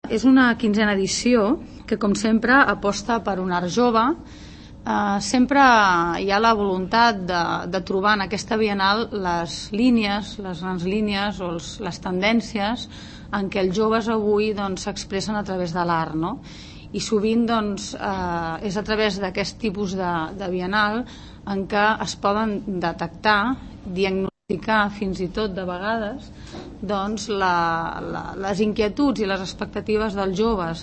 És una 15a edició que, com sempre, aposta per un art jove. Sempre hi ha la voluntat de trobar en aquesta Bienal les línies, les grans línies o les tendències en què els joves avui s'expressen a través de l'art, no? I sovint és a través d'aquest tipus de Bienal en què es poden detectar, diagnosticar fins i tot de vegades les inquietuds i les expectatives dels joves.